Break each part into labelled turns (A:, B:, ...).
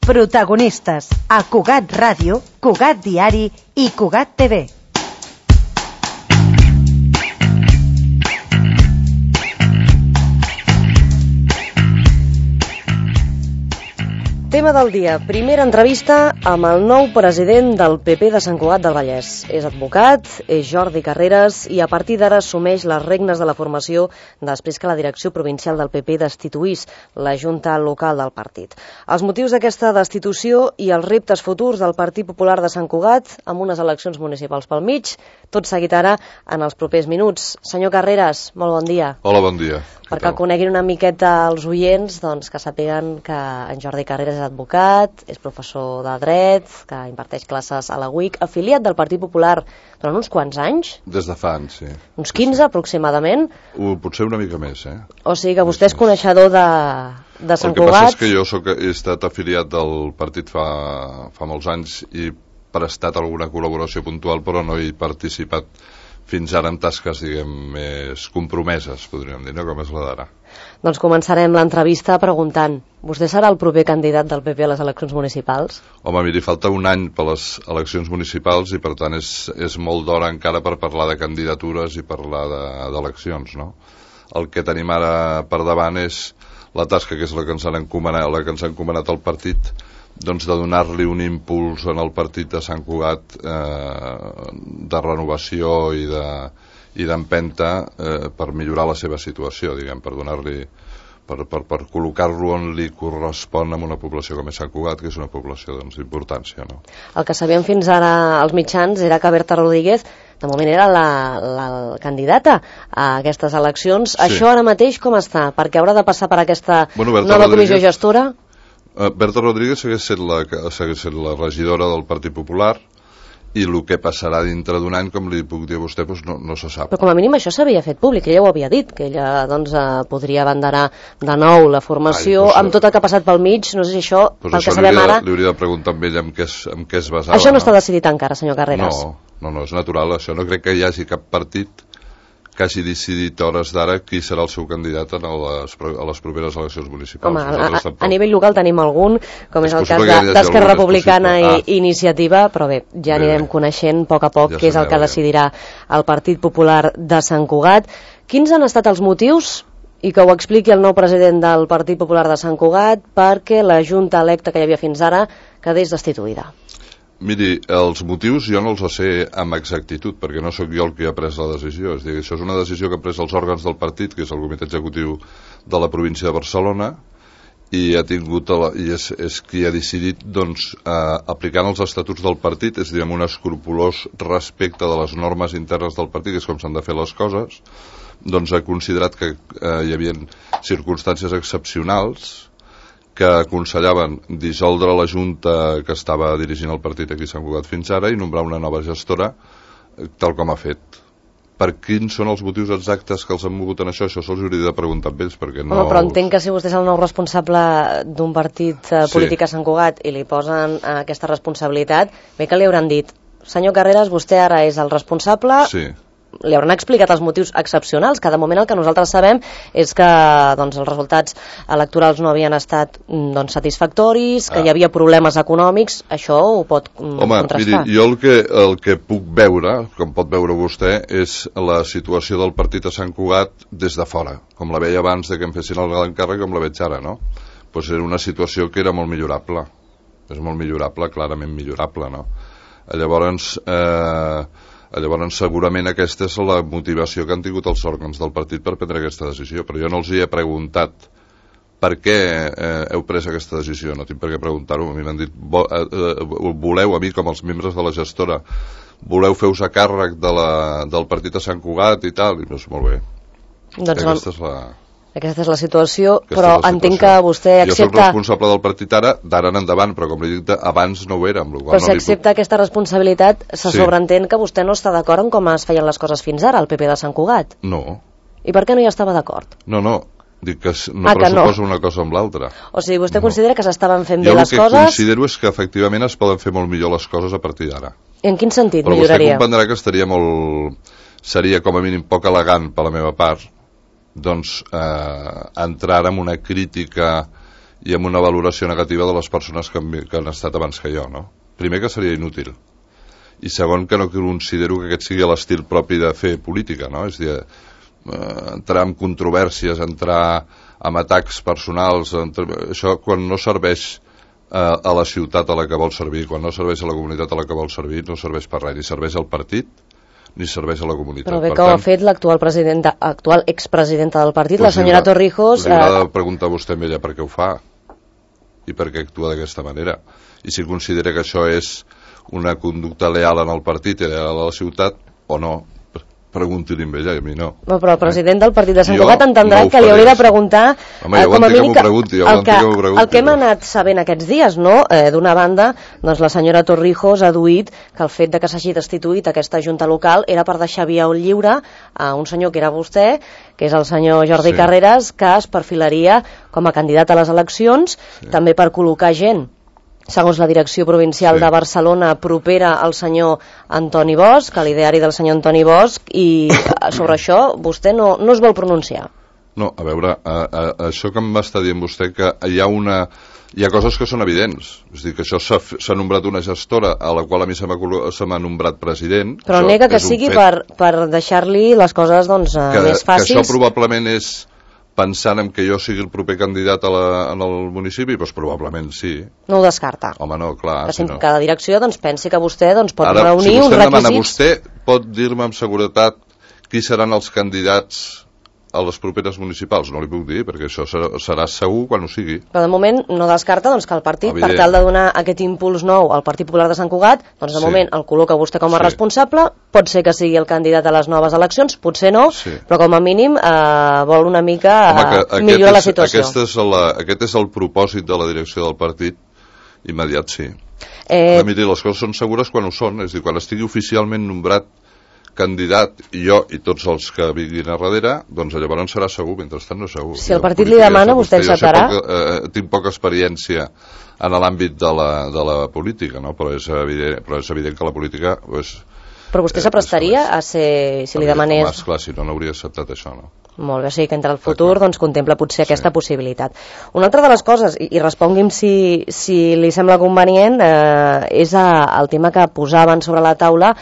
A: Protagonistes a Cugat Ràdio, Cugat Diari i Cugat TV.
B: Tema del dia, primera entrevista amb el nou president del PP de Sant Cugat del Vallès. És advocat, és Jordi Carreras i a partir d'ara assumeix les regnes de la formació després que la direcció provincial del PP destituís la junta local del partit. Els motius d'aquesta destitució i els reptes futurs del Partit Popular de Sant Cugat amb unes eleccions municipals pel mig, tot seguit ara en els propers minuts. Senyor Carreras, molt bon dia.
C: Hola, bon dia.
B: Perquè el coneguin una miqueta els oients, doncs que sàpiguen que en Jordi Carreras és advocat, és professor de dret, que imparteix classes a la UIC, afiliat del Partit Popular durant uns quants anys?
C: Des de fa anys, sí.
B: Uns 15 aproximadament?
C: Potser una mica més,
B: O sigui que vostè és coneixedor de Sant Cugat.
C: El que passa és que jo he estat afiliat del partit fa molts anys i prestat alguna col·laboració puntual, però no he participat fins ara amb tasques, diguem, més compromeses, podríem dir, no? Com és la d'ara.
B: Doncs començarem l'entrevista preguntant, vostè serà el proper candidat del PP a les eleccions municipals?
C: Home, miri, falta un any per les eleccions municipals i per tant és molt d'hora encara per parlar de candidatures i parlar d'eleccions, no? El que tenim ara per davant és la tasca que és la que ens han encomanat al partit, doncs de donar-li un impuls en el partit de Sant Cugat de renovació i d'empenta per millorar la seva situació, diguem, per donar-li per col·locar-lo on li correspon amb una població com és Sant Cugat, que és una població d'importància, no?
B: El que sabíem fins ara als mitjans era que Berta Rodríguez de moment era la candidata a aquestes eleccions. Sí. Això ara mateix com està? Perquè haurà de passar per aquesta nova comissió gestora?
C: Berta Rodríguez segueix sent la regidora del Partit Popular i el que passarà dintre d'un any, com li puc dir a vostè, doncs no se sap.
B: Però com a mínim això s'havia fet públic, ella ho havia dit, que ella doncs, podria abanderar de nou la formació, amb tot el que ha passat pel mig, no sé si això, pel que sabem ara...
C: Li hauria de preguntar a ella en què es basava.
B: Això no està decidit encara, senyor Carreras?
C: No, és natural, això. No crec que hi hagi cap partit que hagi decidit a hores d'ara qui serà el seu candidat a les properes eleccions municipals.
B: Home, a nivell local tenim algun, com és el cas d'Esquerra Republicana i Iniciativa, però bé, ja anirem coneixent a poc què és el que decidirà el Partit Popular de Sant Cugat. Quins han estat els motius, i que ho expliqui el nou president del Partit Popular de Sant Cugat, perquè la junta electa que hi havia fins ara quedés destituïda?
C: Miri, els motius jo no els sé amb exactitud, perquè no sóc jo el que ha pres la decisió. És a dir, això és una decisió que han pres els òrgans del partit, que és el comitè executiu de la província de Barcelona, i és qui ha decidit, doncs, aplicant els estatuts del partit, és a dir, amb un escrupolós respecte de les normes internes del partit, que és com s'han de fer les coses, doncs ha considerat que hi havia circumstàncies excepcionals que aconsellaven dissoldre la junta que estava dirigint el partit aquí a Sant Cugat fins ara i nombrar una nova gestora, tal com ha fet. Per quins són els motius exactes que els han mogut en això se'ls hauria de preguntar amb ells, perquè no...
B: Però entenc que si vostè és el nou responsable d'un partit polític a Sant Cugat i li posen aquesta responsabilitat, bé que li hauran dit, senyor Carreras, vostè ara és el responsable...
C: Sí.
B: Li hauran explicat els motius excepcionals, que de moment el que nosaltres sabem és que doncs, els resultats electorals no havien estat satisfactoris, que hi havia problemes econòmics, això ho pot contrastar.
C: Miri, jo el que puc veure, com pot veure vostè, és la situació del partit a Sant Cugat des de fora, com la veia abans de que em fessin l'encàrrec, com la veig ara, no? Doncs era una situació que era molt millorable, és molt millorable, clarament millorable, no? Llavors, segurament aquesta és la motivació que han tingut els òrgans del partit per prendre aquesta decisió, però jo no els hi he preguntat per què heu pres aquesta decisió, no tinc per què preguntar-ho. A mi m'han dit, voleu, a mi com els membres de la gestora, voleu fer-vos a càrrec del partit a Sant Cugat i tal, i doncs molt bé.
B: Doncs aquesta és la situació, però entenc que vostè accepta...
C: Jo soc responsable del partit ara, d'ara en endavant, però com li dic, abans no ho era.
B: Però si accepta aquesta responsabilitat, se sobreentén que vostè no està d'acord en com es feien les coses fins ara, al PP de Sant Cugat.
C: No.
B: I per què no hi estava d'acord?
C: No, dic que no pressuposa una cosa amb l'altra.
B: O sigui, vostè considera que s'estaven fent bé les coses...
C: Jo el que considero és que efectivament es poden fer molt millor les coses a partir d'ara.
B: I en quin sentit
C: Però
B: milloraria?
C: vostè comprendrà que seria com a mínim poc elegant per la meva part doncs entrar en una crítica i amb una valoració negativa de les persones que han estat abans que jo, no? Primer, que seria inútil, i segon, que no considero que aquest sigui l'estil propi de fer política, no? És a dir, entrar en controvèrsies, entrar en atacs personals, això quan no serveix a la ciutat a la que vol servir, quan no serveix a la comunitat a la que vol servir, no serveix per res, ni serveix al partit ni serveix a la comunitat.
B: Però bé que ho ha fet l'actual expresidenta del partit, la senyora Torrijos.
C: Li haurà de preguntar a vostè amb ella per què ho fa i per què actua d'aquesta manera, i si considera que això és una conducta leal en el partit i leal a la ciutat o no. Pregunti-li amb ella, i a mi no.
B: Però el president del partit de Sant Cugat entendrà que li hauria de preguntar
C: com a mínim
B: el que hem anat sabent aquests dies, no? D'una banda, doncs la senyora Torrijos ha duit que el fet de que s'hagi destituït aquesta junta local era per deixar via lliure a un senyor que era vostè, que és el senyor Jordi Carreras, que es perfilaria com a candidat a les eleccions, també per col·locar gent, segons la direcció provincial de Barcelona, propera al senyor Antoni Bosch, a l'ideari del senyor Antoni Bosch, i sobre això vostè no es vol pronunciar.
C: No, a veure, això que m'està dient vostè, que hi ha coses que són evidents. És a dir, que això s'ha nombrat una gestora a la qual a mi se m'ha nombrat president.
B: Però nega que sigui per deixar-li les coses més fàcils.
C: Que això probablement és pensant en que jo sigui el proper candidat en el municipi, doncs probablement sí.
B: No ho descarta.
C: Home, no, clar.
B: Que cada direcció pensi que vostè pot reunir uns requisits.
C: Ara, si vostè em demana, vostè pot dir-me amb seguretat qui seran els candidats a les properes municipals? No li puc dir, perquè això serà segur quan ho sigui.
B: Però de moment no descarta que el partit, per tal de donar aquest impuls nou al Partit Popular de Sant Cugat, doncs de moment el col·loca vostè com a responsable, pot ser que sigui el candidat a les noves eleccions, potser no, però com a mínim vol una mica millorar la situació.
C: Aquest és el propòsit de la direcció del partit immediat, sí. Miri, les coses són segures quan ho són, és a dir, quan estigui oficialment nombrat candidat, i jo i tots els que vinguin a darrere, doncs llavors serà segur, mentrestant no és segur.
B: Si el partit li demana, vostè acceptarà?
C: Tinc poca experiència en l'àmbit de la política, no? Però és evident que la política...
B: Però vostè s'aprestaria a ser, si li demanés...
C: Home, esclar, si no n'hauria acceptat això, no?
B: Molt bé, o sigui que entre el futur contempla potser aquesta possibilitat. Una altra de les coses, i respongui'm si li sembla convenient, és el tema que posaven sobre la taula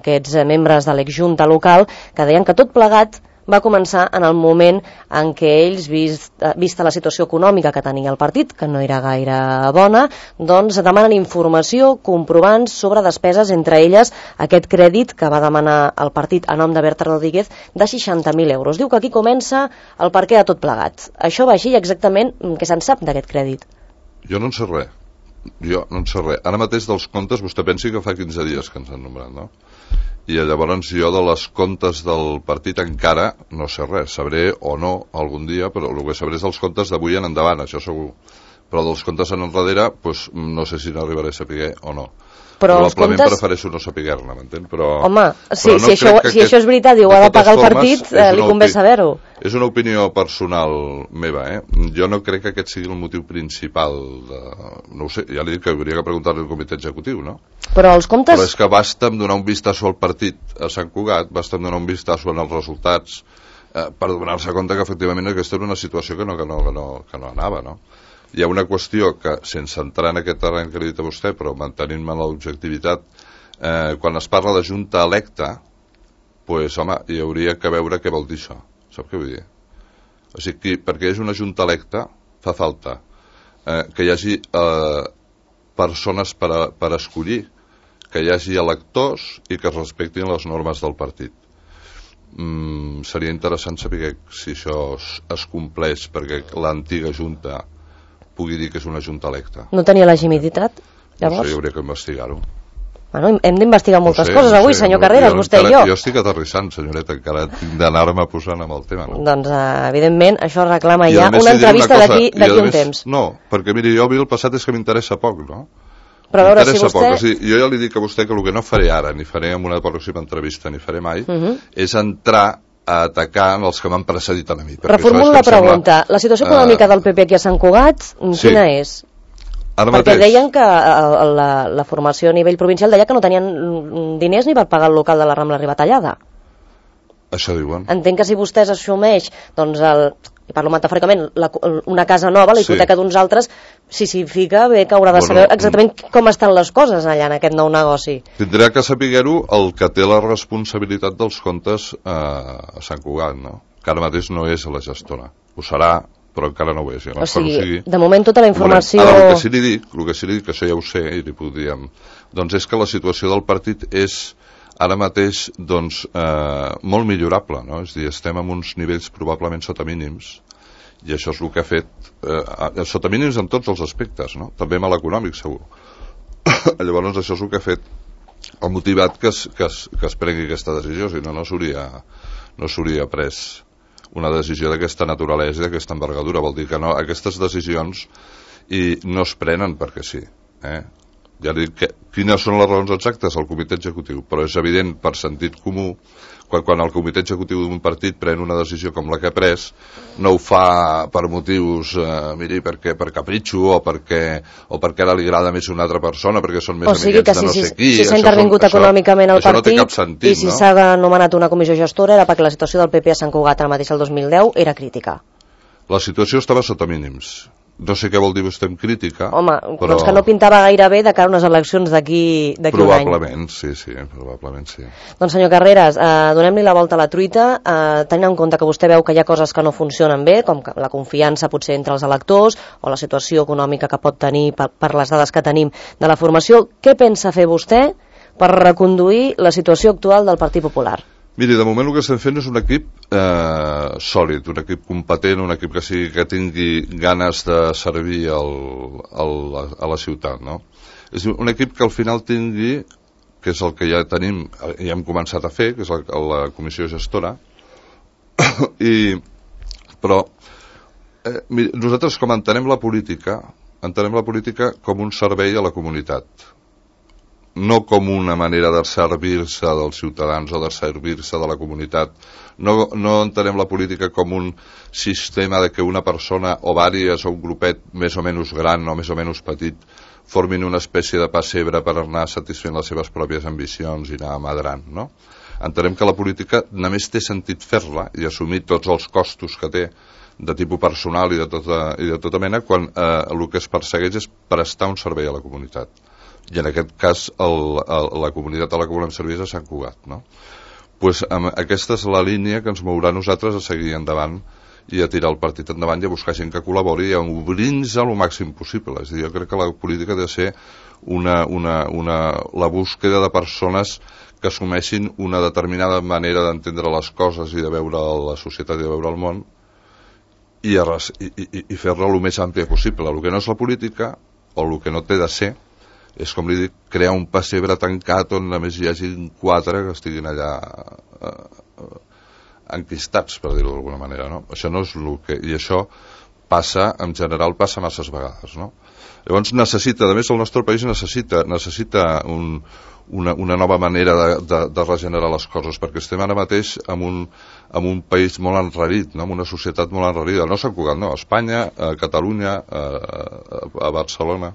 B: aquests membres de l'exjunta local, que deien que tot plegat va començar en el moment en què ells, vista la situació econòmica que tenia el partit, que no era gaire bona, doncs demanen informació, comprovants sobre despeses, entre elles aquest crèdit que va demanar el partit a nom de Berta Rodríguez de 60.000 euros. Diu que aquí comença el perquè de tot plegat. Això va així, exactament què se'n sap d'aquest crèdit?
C: Jo no en sé res. Ara mateix dels comptes, vostè pensi que fa 15 dies que ens han nombrat, no? I llavors jo de les comptes del partit encara no sé res, sabré o no algun dia, però el que sabré és dels comptes d'avui en endavant, això segur. Però dels comptes en enrere, doncs no sé si n'arribaré a saber o no. Probablement prefereixo no saber-ne, m'entén?
B: Home, si això és veritat i ho ha de pagar el partit, li convé saber-ho.
C: És una opinió personal meva, Jo no crec que aquest sigui el motiu principal no ho sé, ja li dic que hauria que preguntar-li al comitè executiu, no?
B: Però els comptes...
C: Però és que basta em donar un vistazo al partit a Sant Cugat, basta em donar un vistazo en els resultats per donar-se compte que efectivament aquesta era una situació que no anava, no? Hi ha una qüestió que, sense entrar en aquest terreny que li he dit a vostè, però mantenint-me en l'objectivitat, quan es parla de junta electa, doncs, home, hi hauria que veure què vol dir això. Sap què vull dir? O sigui, perquè és una junta electa, fa falta que hi hagi persones per escollir, que hi hagi electors i que es respectin les normes del partit. Seria interessant saber si això es compleix perquè l'antiga junta pugui dir que és una junta electa.
B: No tenia legitimitat, llavors?
C: No sé, hauria que investigar-ho.
B: Bueno, hem d'investigar moltes coses avui, senyor Carreras, vostè i jo.
C: Jo estic aterrissant, senyoreta, encara tinc d'anar-me posant amb el tema. No?
B: Doncs, evidentment, això reclama ja una entrevista d'aquí un temps.
C: No, perquè, miri, jo el passat és que m'interessa poc, no?
B: Però a veure, si vostè...
C: Jo ja li dic a vostè que el que no faré ara, ni faré en una pròxima entrevista, ni faré mai, és entrar a atacar els que m'han precedit a mi.
B: Reformulo la pregunta. La situació econòmica del PP aquí a Sant Cugat, quina és? Perquè deien que la formació a nivell provincial deia que no tenien diners ni per pagar el local de la Rambla Ribatallada.
C: Això diuen.
B: Entenc que si vostès assumeix doncs, i parlo metafòricament, una casa nova, la hipoteca d'uns altres, si s'hi fica, bé que haurà de saber exactament com estan les coses allà en aquest nou negoci.
C: Tindrà que saber-ho el que té la responsabilitat dels comptes a Sant Cugat, no? Que ara mateix no és la gestora. Ho serà, però encara no ho és.
B: O sigui, de moment tota la informació...
C: Ara, el que sí li dic, que això ja ho sé, i li puc dir, doncs és que la situació del partit és ara mateix doncs, molt millorable, no? És a dir, estem en uns nivells probablement sota mínims, i això és el que ha fet sota mínims en tots els aspectes, no? També amb l'econòmic, segur. Llavors això és el que ha fet, ha motivat que es prengui aquesta decisió, si no, no s'hauria pres una decisió d'aquesta naturalesa i d'aquesta envergadura. Vol dir que no, aquestes decisions no es prenen perquè sí, ja dic quines són les raons exactes al comitè executiu, però és evident per sentit comú quan el comitè executiu d'un partit pren una decisió com la que ha pres, no ho fa per motius per capritxo o perquè ara li agrada més una altra persona, perquè són més amiguets de no sé qui.
B: Si s'ha intervingut econòmicament al partit,
C: no té cap sentit,
B: i si s'ha anomenat una comissió gestora era perquè la situació del PP a Sant Cugat ara mateix el 2010 era crítica.
C: La situació estava sota mínims. No sé què vol dir vostè amb crítica.
B: Home, però doncs que no pintava gaire bé de cara a unes eleccions d'aquí un any.
C: Probablement, sí, probablement sí.
B: Doncs senyor Carreras, donem-li la volta a la truita, tenint en compte que vostè veu que hi ha coses que no funcionen bé, com la confiança potser entre els electors, o la situació econòmica que pot tenir per les dades que tenim de la formació, què pensa fer vostè per reconduir la situació actual del Partit Popular?
C: Miri, de moment el que estem fent és un equip sòlid, un equip competent, un equip que tingui ganes de servir a la ciutat, no? És un equip que al final tingui, que és el que ja tenim, ja hem començat a fer, que és la comissió gestora, però miri, nosaltres com entenem la política com un servei a la comunitat, no com una manera de servir-se dels ciutadans o de servir-se de la comunitat. No entenem la política com un sistema de que una persona o vàries o un grupet més o menys gran o més o menys petit formin una espècie de pessebre per anar satisfent les seves pròpies ambicions i anar madrant, no? Entenem que la política només té sentit fer-la i assumir tots els costos que té de tipus personal i de tota mena quan el que es persegueix és prestar un servei a la comunitat. I en aquest cas la comunitat a la que volem servir és a Sant Cugat, no? Pues, aquesta és la línia que ens mourà nosaltres a seguir endavant i a tirar el partit endavant i a buscar gent que col·labori i a obrir-nos el màxim possible. És a dir, jo crec que la política ha de ser la búsqueda de persones que assumeixin una determinada manera d'entendre les coses i de veure la societat i de veure el món i fer-la el més àmplia possible. El que no és la política o el que no té de ser és, com li dic, crear un pessebre tancat on només hi hagi 4 que estiguin allà enquistats, per dir-ho d'alguna manera, no? Això no és el que... I això passa, en general, passa masses vegades, no? Llavors necessita, a més el nostre país necessita una nova manera de regenerar les coses, perquè estem ara mateix en un país molt enrarit, no? En una societat molt enrarida, no a Sant Cugat, no, a Espanya, a Catalunya, a Barcelona,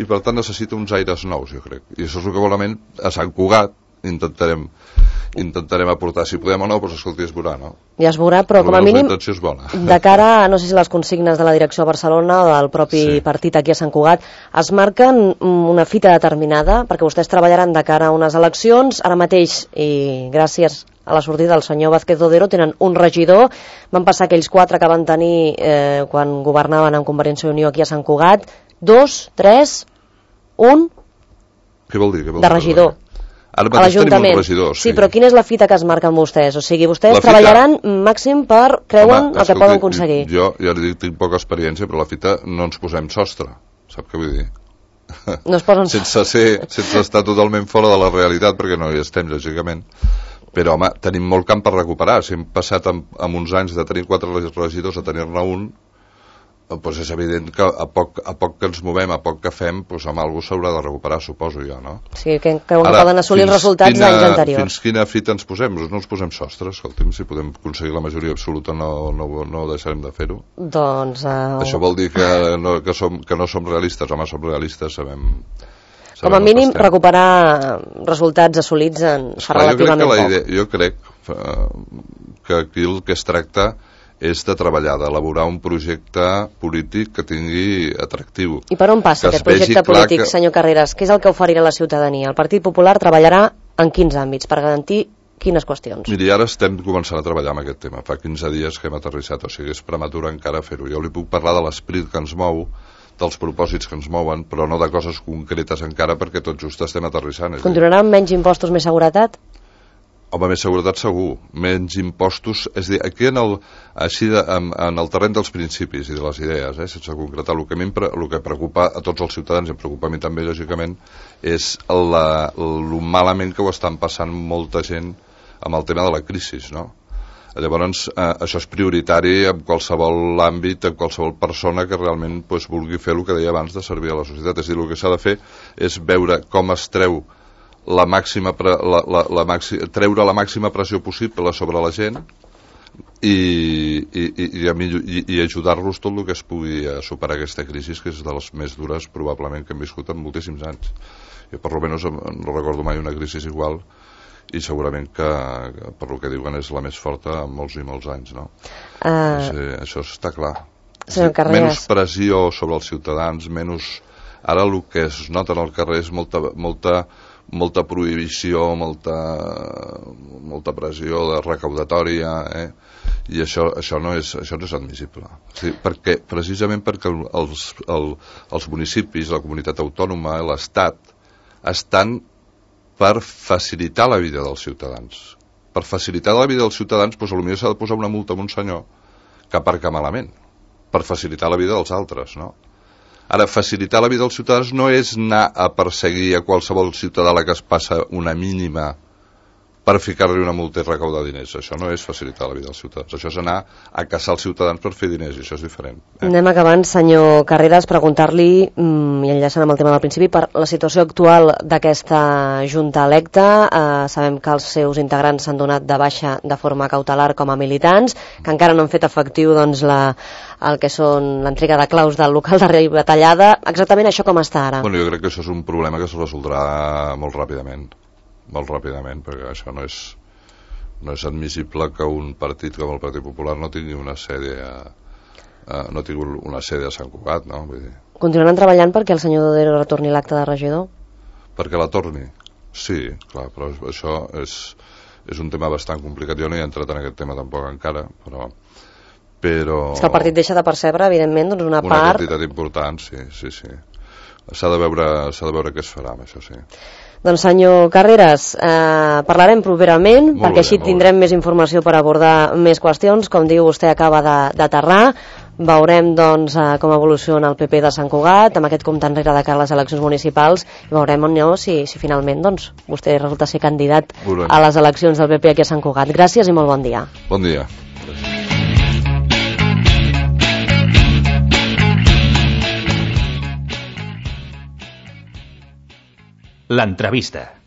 C: i per tant necessita uns aires nous, jo crec, i això és el que volament a Sant Cugat intentarem aportar. Si podem o no, doncs escolti, es veurà, no?
B: Ja es veurà, però com a mínim de cara a, no sé si les consignes de la direcció a Barcelona o del propi partit aquí a Sant Cugat es marquen una fita determinada, perquè vostès treballaran de cara a unes eleccions. Ara mateix, i gràcies a la sortida del senyor Vázquez Dodero, tenen un regidor. Van passar aquells 4 que van tenir quan governaven amb Convergència i Unió aquí a Sant Cugat. 2, 3, 1
C: Què vol dir?
B: De regidor
C: a l'Ajuntament.
B: Sí, però quina és la fita que es marquen vostès? O sigui, vostès treballaran màxim per creuen el que poden aconseguir.
C: Jo ja li dic, tinc poca experiència, però la fita no ens posem sostre, sap què vull dir?
B: No es posen
C: sense estar totalment fora de la realitat, perquè no hi estem, lògicament. Però, home, tenim molt camp per recuperar. Si hem passat amb uns anys de tenir 4 regidors a tenir-ne un, doncs és evident que a poc que ens movem, a poc que fem, doncs amb alguna cosa s'haurà de recuperar, suposo jo, no?
B: Sí, que poden assolir els resultats d'anys anteriors.
C: Fins quina fita ens posem? No ens posem sostre, escolti'm, si podem aconseguir la majoria absoluta no deixarem de fer-ho.
B: Doncs...
C: Això vol dir que no som realistes, home, som realistes, sabem
B: com a mínim recuperar resultats assolits en fa relativament poc.
C: Jo crec que aquí el que es tracta és de treballar, d'elaborar un projecte polític que tingui atractiu.
B: I per on passa aquest projecte polític, senyor Carreras? Què és el que oferirà la ciutadania? El Partit Popular treballarà en quins àmbits per garantir quines qüestions?
C: Miri, ara estem començant a treballar amb aquest tema. Fa 15 dies que hem aterrissat, o sigui, és prematur encara fer-ho. Jo li puc parlar de l'esperit que ens mou, dels propòsits que ens mouen, però no de coses concretes encara, perquè tot just estem aterrissant.
B: Continuarà amb menys impostos, més seguretat?
C: Home, més seguretat segur, menys impostos, és a dir, aquí en el terreny dels principis i de les idees, sense concretar, el que preocupa a tots els ciutadans, i em preocupa a mi també, lògicament, és lo malament que ho estan passant molta gent amb el tema de la crisi, no? Llavors, això és prioritari en qualsevol àmbit, en qualsevol persona que realment vulgui fer el que deia abans de servir a la societat. És a dir, el que s'ha de fer és veure com es treu treure la màxima pressió possible sobre la gent i ajudar-los tot el que es pugui a superar aquesta crisi, que és de les més dures probablement que hem viscut en moltíssims anys. Jo per almenys no recordo mai una crisi igual, i segurament que per el que diuen és la més forta en molts i molts anys, no? Això està clar. Menys pressió sobre els ciutadans, ara el que es nota en el carrer és molta prohibició, molta pressió de recaudatòria, i això no és admissible. Sí, precisament perquè els municipis, la comunitat autònoma, l'Estat, estan per facilitar la vida dels ciutadans. Per facilitar la vida dels ciutadans, potser s'ha de posar una multa a un senyor que aparca malament, per facilitar la vida dels altres, no? Ara, facilitar la vida dels ciutadans no és anar a perseguir a qualsevol ciutadà a la que es passa una mínima per ficar-li una multa i recaudar diners. Això no és facilitar la vida dels ciutadans. Això és anar a caçar els ciutadans per fer diners, i això és diferent.
B: Anem acabant, senyor Carreras, preguntar-li, i enllaçant amb el tema del principi, per la situació actual d'aquesta Junta electa. Sabem que els seus integrants s'han donat de baixa de forma cautelar com a militants, que encara no han fet efectiu el que són l'entrega de claus del local de rebatallada. Exactament això com està ara?
C: Bueno, jo crec que això és un problema que es resoldrà molt ràpidament, perquè això no és admissible que un partit com el Partit Popular no tingui una sede a Sant Cugat, no? Vull dir...
B: Continuaran treballant perquè el senyor Dodero retorni l'acte de regidor?
C: Perquè la torni? Sí, clar, però això és un tema bastant complicat. Jo no he entrat en aquest tema tampoc encara, però... És
B: que el partit deixa de percebre, evidentment, doncs una part...
C: Una quantitat important, sí. S'ha de veure què es farà amb això, sí.
B: Doncs senyor Carreras, parlarem properament, perquè així tindrem més informació per abordar més qüestions. Com diu, vostè acaba d'aterrar. Veurem doncs com evoluciona el PP de Sant Cugat amb aquest compte enrere de cara a les eleccions municipals, i veurem si finalment doncs vostè resulta ser candidat a les eleccions del PP aquí a Sant Cugat. Gràcies i molt bon dia.
C: Bon dia.
D: L'entrevista.